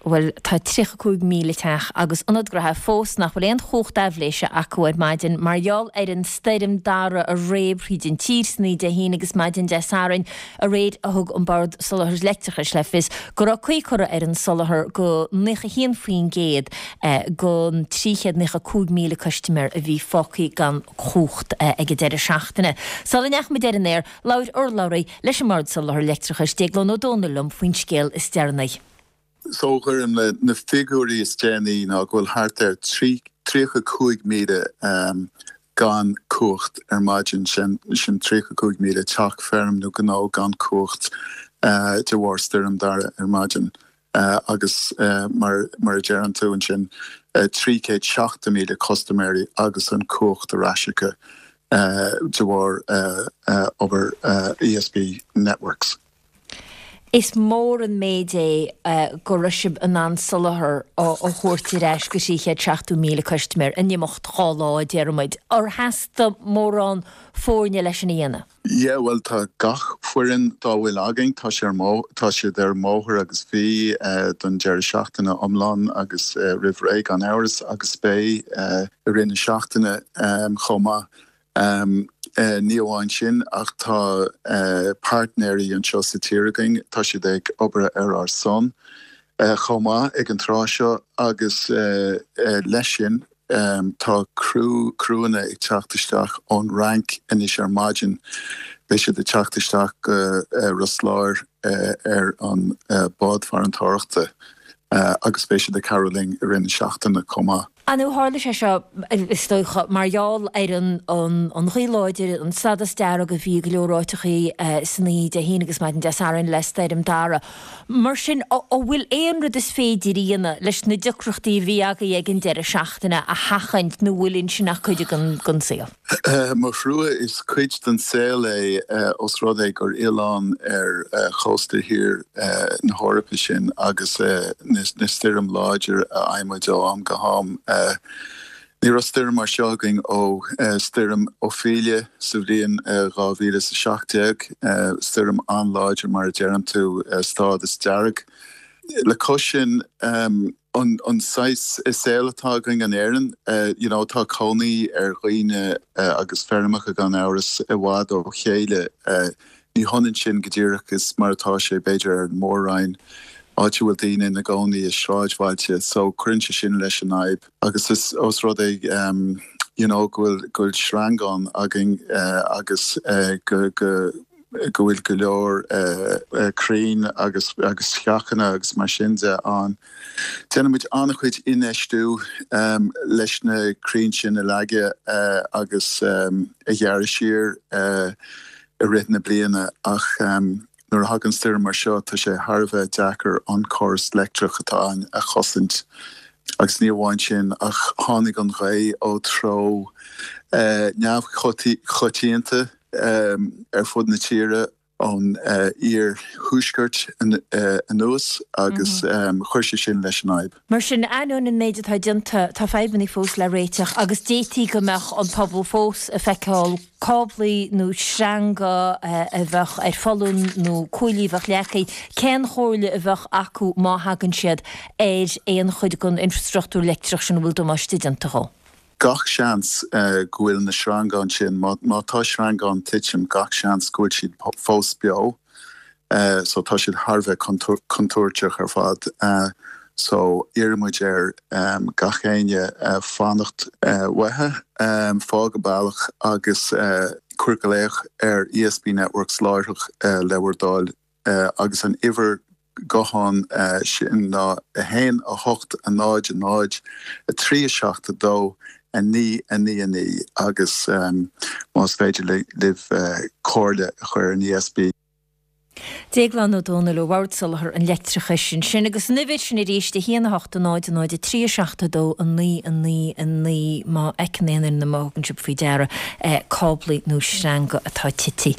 Bhuel, tá 35,000 teach agus ionad gnaithe fós nach bhfuil aon chumhacht aibhléise acu ar maidin mar gheall ar an stoirm Dara a réab thríd an tír san oíche Dé hAoine agus maidin Dé Sathairn. Aréir thug an Bord Soláthair Leictreachais le fios go raibh caoi curtha ar an soláthar go 91% den 395,000 custaiméir a bhí fágtha gan chumhacht ag an deireadh seachtaine. Sula ndeachaigh muid ar an aer, labhair urlabhraí leis an mBord Soláthair Leictreachais, Déaglán Ó Dónaill liom faoin scéal is deireanaí. So a Dhoireann, na figiúirí is déanaí ná go bhfuil thart ar 35,000 gan cumhacht ar maidin, sin 35,000 teach, feirm nó gnó gan cumhacht de bharr Stoirm Dara ar maidin agus mar a deireann tú ansin 370,000 custaiméirí agus an cumhacht ar ais acu de bharr obair ESB Networks. Is mór an méid é go raibh sibh in ann soláthar a thabhairt ar ais go 370,000 custaiméir in imeacht 2 lá, déarfaidh muid. Ar theastaigh mórán foirne leis sin a dhéanamh? Yeah, bhuel tá gach foireann dá bhfuil againn, tá sé ar tá siad ar an mbóthar agus bhí don deireadh seachtaine iomlán agus roimh ré gan amhras agus beidh i rith na seachtaine chomh maith. Ní amháin sin ach tá páirtnéirí anseo sa tír againn, tá siad ag obair ar ár son chomh maith ag an tráth seo agus leis sin tá criú, criúanna ag teacht isteach ón Fhrainc anois ar maidin. Beidh siad ag teacht isteach go Ros Láir ar an bád farantóireachta agus beidh siad ag cabhrú linn i rith na seachtaine chomh maith. Ar ndóigh tharla sé seo, is dócha, mar gheall ar an ghaoth láidir, an stádas dearg a bhí i go leor áiteachaí san oíche Dé hAoine agus maidin Dé Sathairn le Stoirm Dara. Mar sin, an bhfuil aon rud is féidir a dhéanamh leis na deacrachtaí a bhí agaibh ag an deireadh seachtaine a sheachaint nó an bhfuil ansin ach cuid den saol? Mo thrua, is cuid den saol é os rud é gur oileán ar chósta thiar na hEorpa sinn agus na stoirm láidir a fhaigheann muid ó am go ham. Ní raibh stoirm mar seo againn ó stoirm Ophelia sa bhliain 2017, stoirm an-láidir mar a deireann tú, stádas dearg. Le cois sin, an saghas saol atá againn in Éirinn, you know, tá cónaí ar dhaoine agus feirmeacha gan amhras i bhfad ó chéile. Ní hionann sin go díreach is mar atá sé b'fhéidir ar an Mór-Roinn, áit a bhfuil daoine ina gcónaí i sráidbhailte, so cuireann sé sin leis an fhadhb. Agus is ós rud é you know go bhfuil go bhfuil sreangáin againn agus go go go bhfuil go leor crainn agus agus sceachanna agus mar sin de ann. Déanann muid an-chuid infheistiú leis na crainn sin a leagadh agus a ghearradh siar i rith na bliana ach nuair a thagann stoirm mar seo tá sé thar a bheith deacair an córas leictreach atá ann a chosaint. Agus ní amháin sin ach tháinig an ghaoth ó treo neamhchoitianta ar fud na tíre ón iar-thuaisceart anuas agus chuir sé sin leis an fhadhb. Mar sin, ainneoin an méid atá déanta, tá fadhbanna fós le réiteach agus d'fhéadfaí go mbeadh an pobal fós ag feiceáil cáblaí nó sreanga a bheadh ar foluain nó cuaillí a bheadh leagtha. Cén chomhairle a bheadh acu má thagann siad ar aon chuid den infreastruchtúr leictreach sin a bhfuil damáiste déanta dhó? Gach seans go bhfuil na sreangáin sin, má tá sreangáin titim, gach seans go bhfuil siad fós beo. So tá siad thar a bheith contúirteach ar fad. So iarrann muid ar gach éinne fanacht uathu, fág an bealach agus cuir glaoch ar ESB Networks láithreach le bhur dtoil. agus an uimhir gutháin sin ná 1 8 0 0 3 7 2 9 9 9 agus más féidir libh comhairle a chur ar an ESB. Déaglán Ó Dónaill ó Bhord Soláthair an Leictreachais ansin agus an uimhir sin arís 1 8 0 0 3 7 2 9 9 9 má fheiceann aon duine nó má thugann sibh faoi deara cáblaí nó sreanga atá tite.